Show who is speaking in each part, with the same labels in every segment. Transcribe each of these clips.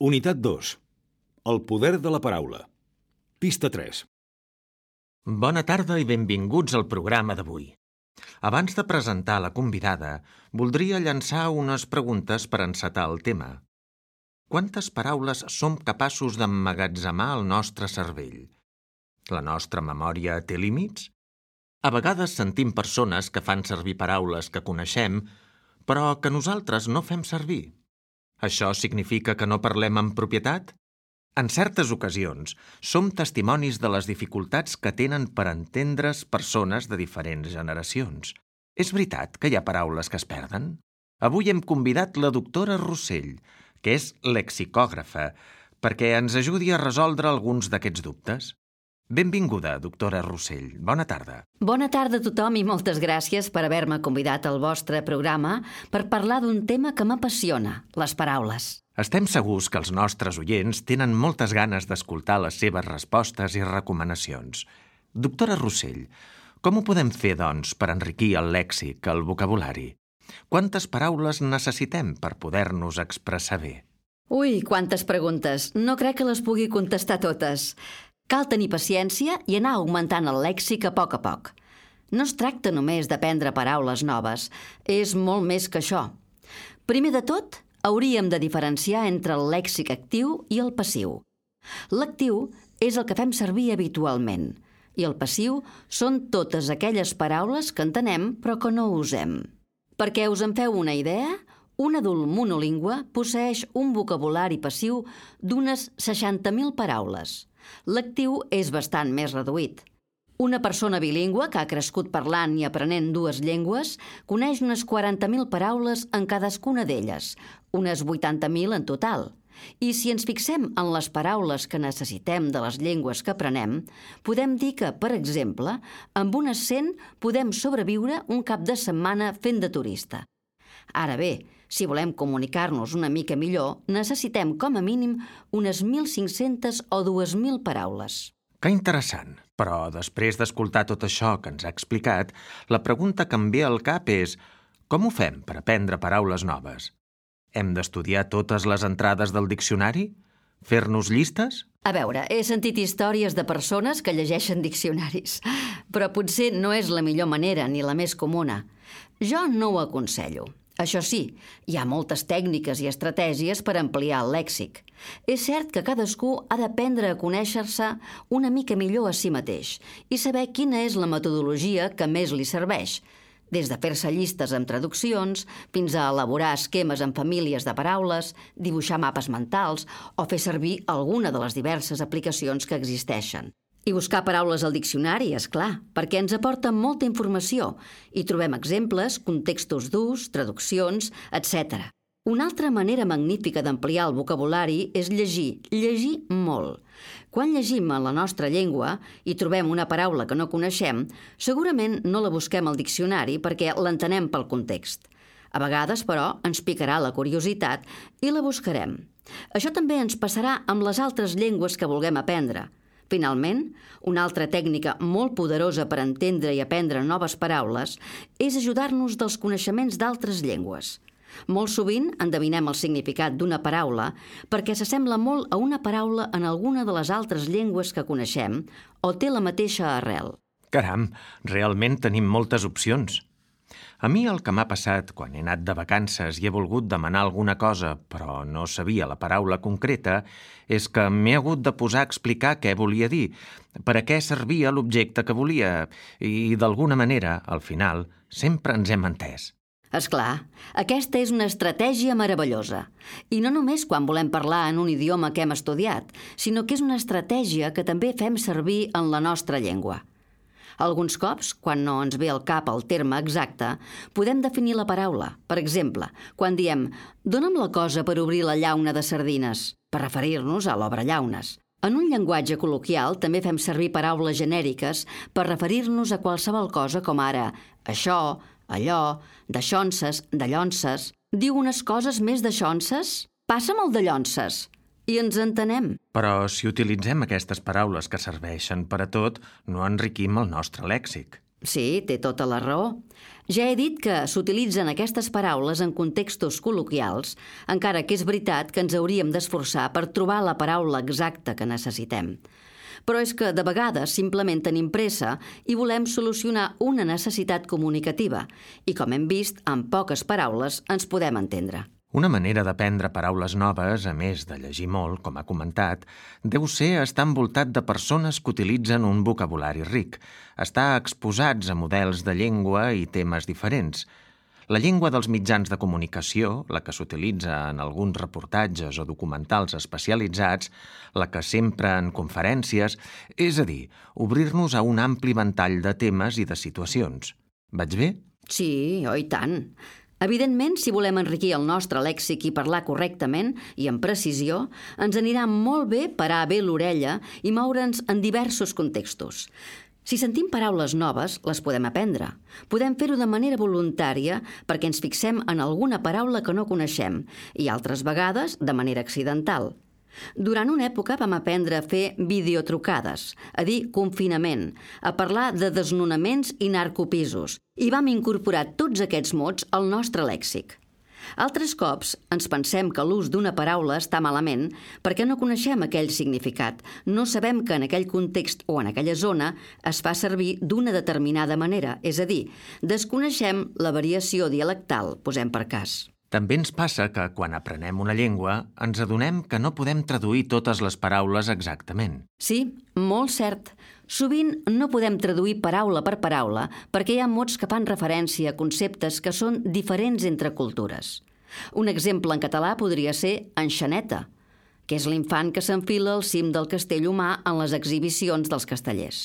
Speaker 1: Unitat 2. El poder de la paraula. Pista 3.
Speaker 2: Bona tarda i benvinguts al programa d'avui. Abans de presentar la convidada, voldria llançar unes preguntes per encetar el tema. Quantes paraules som capaços d'emmagatzemar al nostre cervell? La nostra memòria té límits? A vegades sentim persones que fan servir paraules que coneixem, però que nosaltres no fem servir. Això significa que no parlem amb propietat? En certes ocasions, som testimonis de les dificultats que tenen per entendre's persones de diferents generacions. És veritat que hi ha paraules que es perden? Avui hem convidat la doctora Rossell, que és lexicògrafa, perquè ens ajudi a resoldre alguns d'aquests dubtes. Benvinguda, doctora Rossell. Bona tarda.
Speaker 3: Bona tarda a tothom i moltes gràcies per haver-me convidat al vostre programa per parlar d'un tema que m'apassiona, les paraules.
Speaker 2: Estem segurs que els nostres oients tenen moltes ganes d'escoltar les seves respostes i recomanacions. Doctora Rossell, com ho podem fer, doncs, per enriquir el lèxic, el vocabulari? Quantes paraules necessitem per poder-nos expressar bé?
Speaker 3: Ui, quantes preguntes! No crec que les pugui contestar totes. Cal tenir paciència i anar augmentant el lèxic a poc. No es tracta només d'aprendre paraules noves, és molt més que això. Primer de tot, hauríem de diferenciar entre el lèxic actiu i el passiu. L'actiu és el que fem servir habitualment i el passiu són totes aquelles paraules que entenem però que no usem. Perquè us en feu una idea, un adult monolingüe posseeix un vocabulari passiu d'unes 60.000 paraules. L'actiu és bastant més reduït. Una persona bilingüe que ha crescut parlant i aprenent dues llengües coneix unes 40.000 paraules en cadascuna d'elles, unes 80.000 en total. I si ens fixem en les paraules que necessitem de les llengües que aprenem, podem dir que, per exemple, amb unes 100 podem sobreviure un cap de setmana fent de turista. Ara bé, si volem comunicar-nos una mica millor, necessitem com a mínim unes 1.500 o 2.000 paraules.
Speaker 2: Que interessant! Però després d'escoltar tot això que ens ha explicat, la pregunta que em ve al cap és: com ho fem per aprendre paraules noves? Hem d'estudiar totes les entrades del diccionari? Fer-nos llistes?
Speaker 3: A veure, he sentit històries de persones que llegeixen diccionaris, però potser no és la millor manera ni la més comuna. Jo no ho aconsello. Això sí, hi ha moltes tècniques i estratègies per ampliar el lèxic. És cert que cadascú ha d'aprendre a conèixer-se una mica millor a si mateix i saber quina és la metodologia que més li serveix, des de fer-se llistes amb traduccions fins a elaborar esquemes en famílies de paraules, dibuixar mapes mentals o fer servir alguna de les diverses aplicacions que existeixen. I buscar paraules al diccionari, és clar, perquè ens aporta molta informació i trobem exemples, contextos durs, traduccions, etc. Una altra manera magnífica d'ampliar el vocabulari és llegir molt. Quan llegim en la nostra llengua i trobem una paraula que no coneixem, segurament no la busquem al diccionari perquè l'entenem pel context. A vegades, però, ens picarà la curiositat i la buscarem. Això també ens passarà amb les altres llengües que vulguem aprendre. Finalment, una altra tècnica molt poderosa per entendre i aprendre noves paraules és ajudar-nos dels coneixements d'altres llengües. Molt sovint endevinem el significat d'una paraula perquè s'assembla molt a una paraula en alguna de les altres llengües que coneixem o té la mateixa arrel.
Speaker 2: Caram, realment tenim moltes opcions. A mi el que m'ha passat quan he anat de vacances i he volgut demanar alguna cosa, però no sabia la paraula concreta, és que m'he hagut de posar a explicar què volia dir, per a què servia l'objecte que volia, i d'alguna manera, al final, sempre ens hem entès.
Speaker 3: És clar, aquesta és una estratègia meravellosa. I no només quan volem parlar en un idioma que hem estudiat, sinó que és una estratègia que també fem servir en la nostra llengua. Alguns cops, quan no ens ve al cap el terme exacte, podem definir la paraula. Per exemple, quan diem «Dóna'm la cosa per obrir la llauna de sardines», per referir-nos a l'obrellaunes. En un llenguatge col·loquial també fem servir paraules genèriques per referir-nos a qualsevol cosa com ara això, allò, daixonses, dallonses. Diu unes coses més daixonses? Passa'm el dallonses. I ens entenem.
Speaker 2: Però si utilitzem aquestes paraules que serveixen per a tot, no enriquim el nostre lèxic.
Speaker 3: Sí, té tota la raó. Ja he dit que s'utilitzen aquestes paraules en contextos col·loquials, encara que és veritat que ens hauríem d'esforçar per trobar la paraula exacta que necessitem. Però és que de vegades simplement tenim pressa i volem solucionar una necessitat comunicativa i, com hem vist, amb poques paraules ens podem entendre.
Speaker 2: Una manera d'aprendre paraules noves, a més de llegir molt, com ha comentat, deu ser estar envoltat de persones que utilitzen un vocabulari ric, estar exposats a models de llengua i temes diferents. La llengua dels mitjans de comunicació, la que s'utilitza en alguns reportatges o documentals especialitzats, la que s'empra en conferències, és a dir, obrir-nos a un ampli ventall de temes i de situacions. Vaig bé?
Speaker 3: Sí, oh, i tant. Evidentment, si volem enriquir el nostre lèxic i parlar correctament i amb precisió, ens anirà molt bé parar bé l'orella i moure'ns en diversos contextos. Si sentim paraules noves, les podem aprendre. Podem fer-ho de manera voluntària perquè ens fixem en alguna paraula que no coneixem i altres vegades de manera accidental. Durant una època vam aprendre a fer videotrucades, a dir confinament, a parlar de desnonaments i narcopisos, i vam incorporar tots aquests mots al nostre lèxic. Altres cops ens pensem que l'ús d'una paraula està malament perquè no coneixem aquell significat, no sabem que en aquell context o en aquella zona es fa servir d'una determinada manera, és a dir, desconeixem la variació dialectal, posem per cas.
Speaker 2: També ens passa que, quan aprenem una llengua, ens adonem que no podem traduir totes les paraules exactament.
Speaker 3: Sí, molt cert. Sovint no podem traduir paraula per paraula perquè hi ha mots que fan referència a conceptes que són diferents entre cultures. Un exemple en català podria ser enxaneta, que és l'infant que s'enfila al cim del castell humà en les exhibicions dels castellers.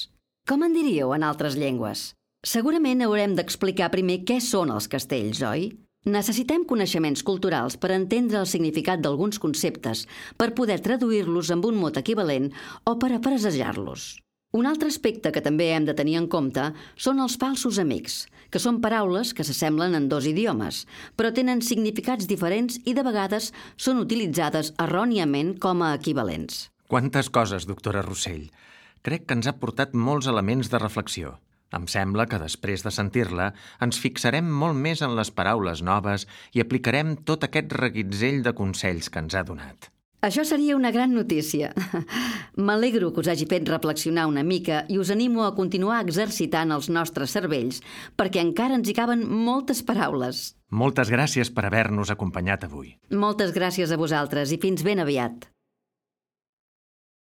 Speaker 3: Com en diríeu en altres llengües? Segurament haurem d'explicar primer què són els castells, oi? Necessitem coneixements culturals per entendre el significat d'alguns conceptes, per poder traduir-los amb un mot equivalent o per a frasejar-los. Un altre aspecte que també hem de tenir en compte són els falsos amics, que són paraules que s'assemblen en dos idiomes, però tenen significats diferents i de vegades són utilitzades erròniament com a equivalents.
Speaker 2: Quantes coses, doctora Rossell. Crec que ens ha portat molts elements de reflexió. Em sembla que després de sentir-la ens fixarem molt més en les paraules noves i aplicarem tot aquest reguitzell de consells que ens ha donat.
Speaker 3: Això seria una gran notícia. M'alegro que us hagi fet reflexionar una mica i us animo a continuar exercitant els nostres cervells perquè encara ens hi caben moltes paraules.
Speaker 2: Moltes gràcies per haver-nos acompanyat avui.
Speaker 3: Moltes gràcies a vosaltres i fins ben aviat.